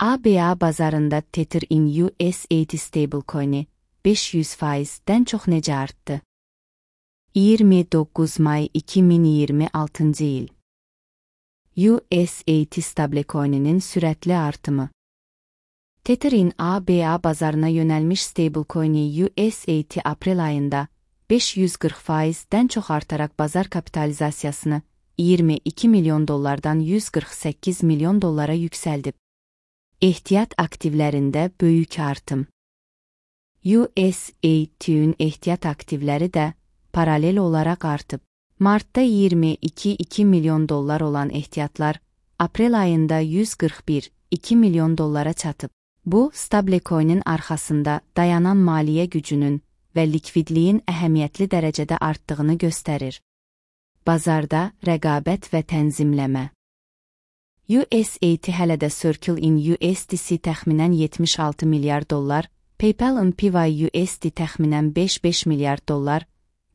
ABA bazarında Tether in USDT stablecoin'i 500%'den çox necə artdı? 29 may 2026 il. USDT stablecoin'inin sürətli artımı. Tether'in ABA bazarına yönəlmiş stablecoin'i USDT aprel ayında 540%'den çox artaraq bazar kapitalizasiyasını 22 milyon dollardan 148 milyon dollara yüksəldib. Ehtiyat aktivlərində böyük artım. USDT'nin ehtiyat aktivləri də paralel olaraq artıb. Martda 22 milyon dollar olan ehtiyatlar, aprel ayında 141,2 milyon dollara çatıb. Bu, stablecoin'in arxasında dayanan maliyyə gücünün və likvidliyin əhəmiyyətli dərəcədə artdığını göstərir. Bazarda rəqabət və tənzimləmə. USDT hələ də Circle in USDC təxminən 76 milyar dollar, PayPal-ın PYUSD təxminən 5 milyar dollar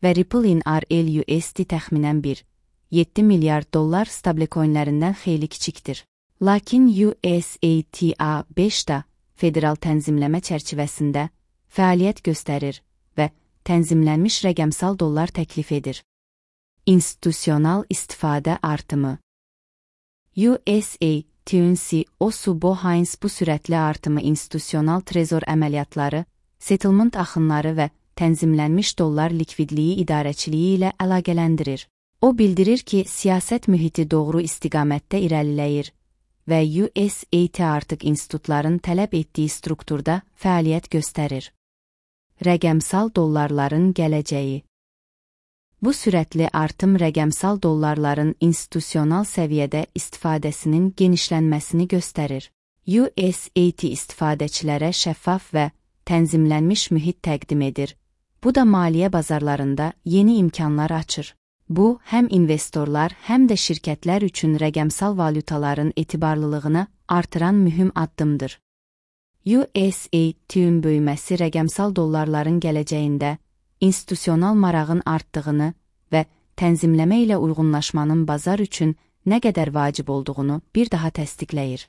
və Ripple in RLUSD təxminən 1,7 milyar dollar stablecoinlərindən xeyli kiçikdir. Lakin USDT-A5 da federal tənzimləmə çərçivəsində fəaliyyət göstərir və tənzimlənmiş rəqəmsal dollar təklif edir. İnstitusional istifadə artımı. USDT-nin CEO'su Heinz bu sürətli artımı institusional trezor əməliyyatları, settlement axınları və tənzimlənmiş dollar likvidliyi idarəçiliyi ilə əlaqələndirir. O bildirir ki, siyasət mühiti doğru istiqamətdə irəliləyir və USDT artıq institutların tələb etdiyi strukturda fəaliyyət göstərir. Rəqəmsal dollarların gələcəyi. Bu sürətli artım rəqəmsal dollarların institusional səviyyədə istifadəsinin genişlənməsini göstərir. USDT istifadəçilərə şəffaf və tənzimlənmiş mühit təqdim edir. Bu da maliyyə bazarlarında yeni imkanlar açır. Bu, həm investorlar, həm də şirkətlər üçün rəqəmsal valyutaların etibarlılığını artıran mühüm addımdır. USDT-nin böyüməsi rəqəmsal dollarların gələcəyində institusional marağın artdığını və tənzimləmə ilə uyğunlaşmanın bazar üçün nə qədər vacib olduğunu bir daha təsdiqləyir.